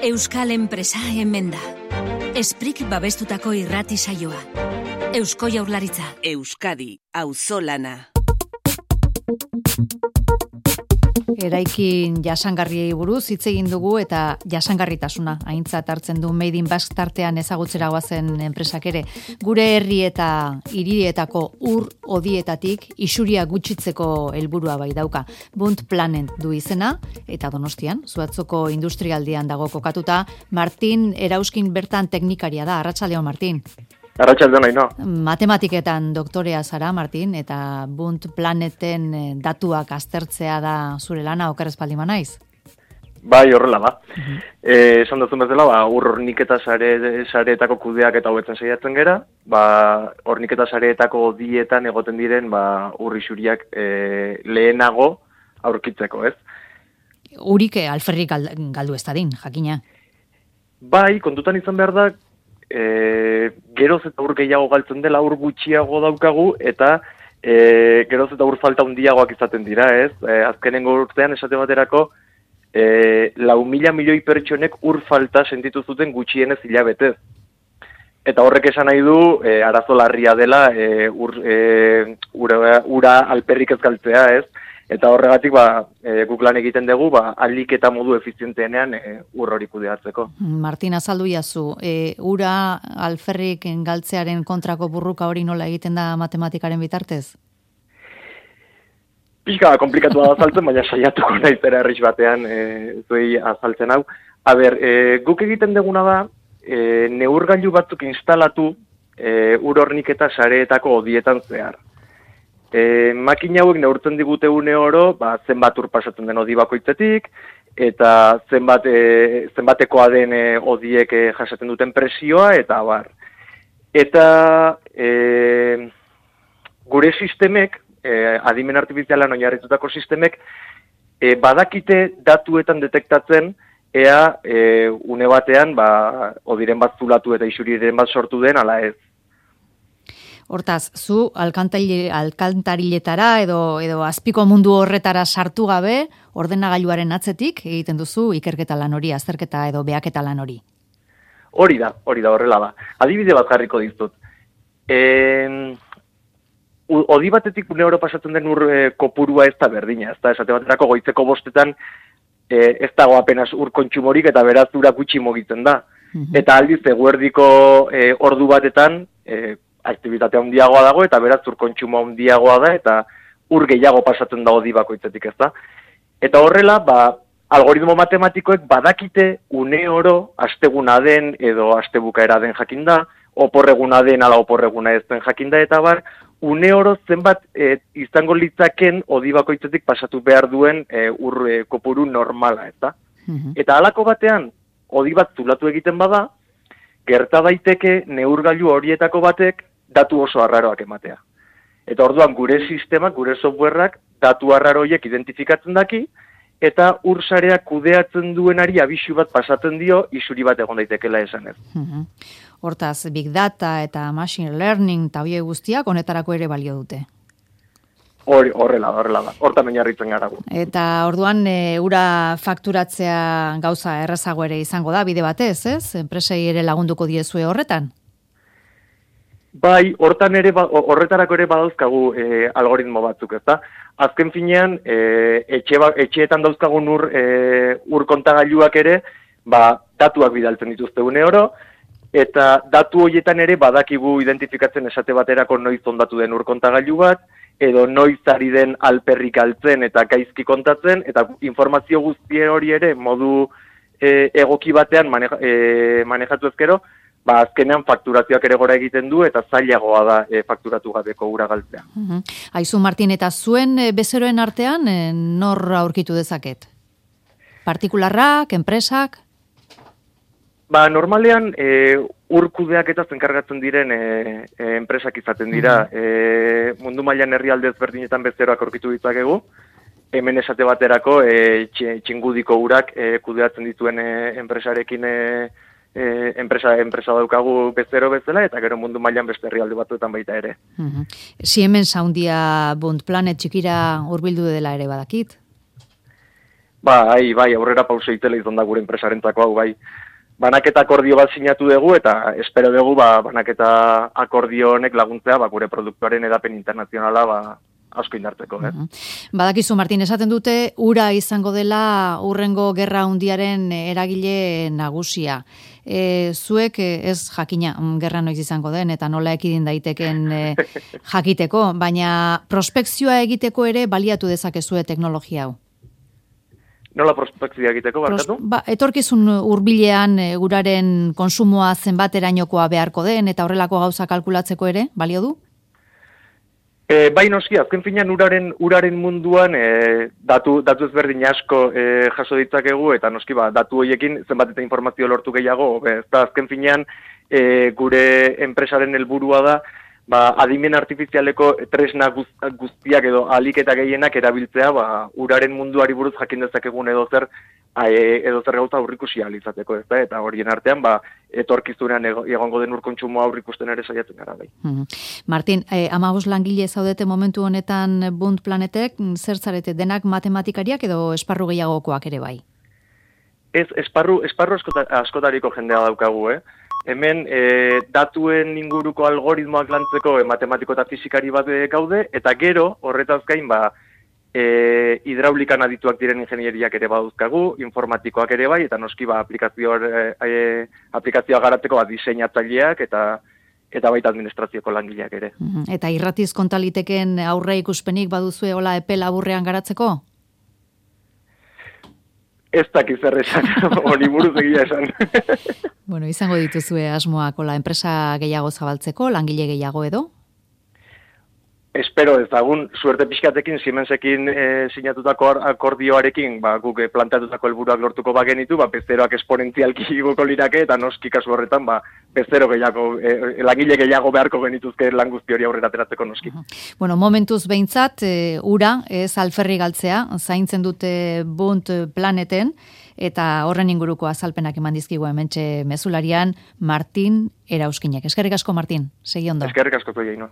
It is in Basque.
Euskal enpresa hemen da. Esprik babestutako irrati saioa. Eusko Jaurlaritza. Euskadi, auzolana. Eraikin jasangarriei buruz hitz egin dugu eta jasangarritasuna aintzat hartzen du Made in Basque tartean ezagutzera goazen enpresak ere. Gure herri eta hirietako ur hodietatik isuria gutxitzeko helburua bai dauka. Bunt Planet du izena eta Donostian, Zuatzoko industrialdean dago kokatuta. Martin Erauskin bertan teknikaria da. Arratsaldeon, Martin. Arratsaldeon, Aino. Matematiketan doktorea zara, Martin, eta Bunt Planeten datuak aztertzea da zure lana, oker ez baldin banaiz? Bai, horrela da. Esan duzun bezala, ur horniketa sareetako kudeak eta hobetzen saiatzen gera, horniketa sareetako dietan egoten diren ur isuriak lehenago aurkitzeko, ez? Urik alferrik galdu ez dadin, jakina. Bai, kontutan izan behar da, geroz eta ur gehiago galtzen dela, ur gutxiago daukagu, eta geroz eta ur falta handiagoak izaten dira, ez? Azkenengo urtean esate baterako, 4.000 milioi pertsonek ur falta sentitu zuten gutxienez hilabetez. Eta horrek esan nahi du, arazo larria dela, ura alperrik ez galtzea, ez? Eta horregatik, guk lan egiten dugu, ahalik eta modu efizienteenean ur hori kudeatzeko. Martin, azaldu jazu, ura alferrik galtzearen kontrako burruka hori nola egiten da matematikaren bitartez? Pixka komplikatua da azaltzen, baina saiatuko naizera herriz batean zuei azaltzen hau. Guk egiten duguna da, neurgailu batzuk instalatu ur horniketa sareetako hodietan zehar. Makina hauek neurtzen digute une oro, zenbat ur pasatzen den hodi bakoitzetik, eta zenbatekoa den hodiek jasaten duten presioa, eta abar. Eta gure sistemek, adimen artifizialan oinarritutako sistemek, badakite datuetan detektatzen, ea une batean, hodiren bat zulatu eta isuriren bat sortu den, ala ez. Hortaz, zu alkantariletara edo azpiko mundu horretara sartu gabe, ordenagailuaren atzetik egiten duzu ikerketa lan hori, azterketa edo behaketa lan hori. Hori da, horrela da. Adibide bat jarriko dizut. Hodi batetik une oro pasatzen den ur kopurua ez da berdina, ez da, esate baterako goizeko 5 ez dago apenas ur kontsumorik eta beraz ura gutxi mugitzen da. Eta aldiz eguerdiko ordu batetan, aktibitate handiagoa dago eta beraz ur kontsumo handiagoa da eta ur gehiago pasatzen da hodi bakoitzetik, ez da. Eta horrela, algoritmo matematikoek badakite une oro asteguna den edo astebukaera den jakinda, oporreguna den ala oporreguna ez den jakinda, eta une oro zenbat izango litzaken hodi bakoitzetik pasatu behar duen ur kopuru normala, ez da. Eta halako batean, hodi bat zulatu egiten bada, gerta daiteke neurgailu horietako batek datu oso arraroak ematea. Eta orduan gure sistemak, gure softwareak datu arraro horiek identifikatzen daki, eta ur sareak kudeatzen duenari abisu bat pasatzen dio, isuri bat egon daitekela esanez. Hortaz, Big Data eta Machine Learning eta horiek guztiak honetarako ere balio dute. Horrela da. Hortan oinarritzen gara gu. Eta orduan ura fakturatzea gauza errazago ere izango da, bide batez, ez? Enpresei ere lagunduko diezue horretan? Bai, horretarako ere badauzkagu algoritmo batzuk, ez da? Azken finean, etxeetan dauzkagun ur kontagailuak ere, datuak bidaltzen dituzte une oro, eta datu horietan ere badakigu identifikatzen esate baterako noiz ondatu den ur kontagailu bat, edo noiz ari den alperrik altzen eta gaizki kontatzen, eta informazio guzti hori ere modu egoki batean manejatu ezkero, azkenean fakturazioak ere gora egiten du eta zailagoa da fakturatu gabeko ura galtzea. Aizu, Martin, eta zuen bezeroen artean nor aurkitu dezaket? Partikularrak, enpresak? Normalean ur kudeaketaz enkargatzen diren enpresak izaten dira. Mundu mailan herrialde ezberdinetan bezeroak aurkitu ditzakegu. Hemen esate baterako txingudiko urak kudeatzen dituen enpresarekin enpresa daukagu bezero bezala, eta gero mundu mailan beste herrialde batzuetan baita ere. Siemens handia Bunt Planet txikira hurbildu dela ere badakit? Bai, aurrera pauso itela izan da gure enpresarentzako hau, bai. Banaketa akordio bat sinatu dugu eta espero dugu banaketa akordio honek laguntzea gure produktuaren edapen internazionala asko indartzeko. Badakizu, Martin, esaten dute ura izango dela urrengo gerra hundiaren eragile nagusia. Zuek ez jakina gerra noiz izango den eta nola ekidin daiteken jakiteko, baina prospekzioa egiteko ere baliatu dezakezue teknologia hau. Nola prospekzioa egiteko, barkatu? Etorkizun hurbilean uraren konsumoa zenbaterainokoa beharko den eta horrelako gauza kalkulatzeko ere, balio du? Bai noski, azken finean uraren munduan datu ezberdin asko jaso ditzakegu eta noski datu horiekin zenbat eta informazio lortu gehiago, ezta azken finean gure enpresaren helburua da adimen artifizialeko tresna guztiak edo ahalik eta gehienak erabiltzea uraren munduari buruz jakin dezakegun edo zer gauza aurrikusi ahal izateko, ezta? Eta horien artean etorkizunean egongo den urkontsumoa aurrikusten ere saiatzen gara bai. Martin, 15 langile zaudete momentu honetan Bunt Planetek, zer zarete denak matematikariak edo esparru gehiagokoak ere bai? Ez, esparru askotariko jendea daukagu, Hemen datuen inguruko algoritmoak lantzeko matematiko eta fizikari bat gaude, eta gero horretaz gain hidraulikan adituak diren ingenieriak ere baduzkagu, informatikoak ere bai, eta noski aplikazioa garatzeko diseinatzaileak eta baita administrazioko langileak ere. Eta irratiz kontaliteken aurre ikuspenik baduzue hola epe laburrean garatzeko? Ez dakiz zer esan, hori buruz egia esan. Bueno, izango dituzue asmoak hola enpresa gehiago zabaltzeko, langile gehiago edo? Espero ezagun, suerte pixkatekin, Siemensekin sinatutako akordioarekin, guk planteatutako helburuak lortuko bagenitu, bezeroak esponentzialki igoko lirake, eta noski kasu horretan, bezero gehiago, langile gehiago beharko genituzke lan guzti hori aurrera ateratzeko noski. Bueno, momentuz behintzat, ura, ez alferri galtzea, zaintzen dute Bunt Planeten, eta horren inguruko azalpenak eman dizkigu hementxe mezularian, Martin Erauskinek. Eskerrik asko, Martin, segi ondo. Eskerrik asko, Jaino.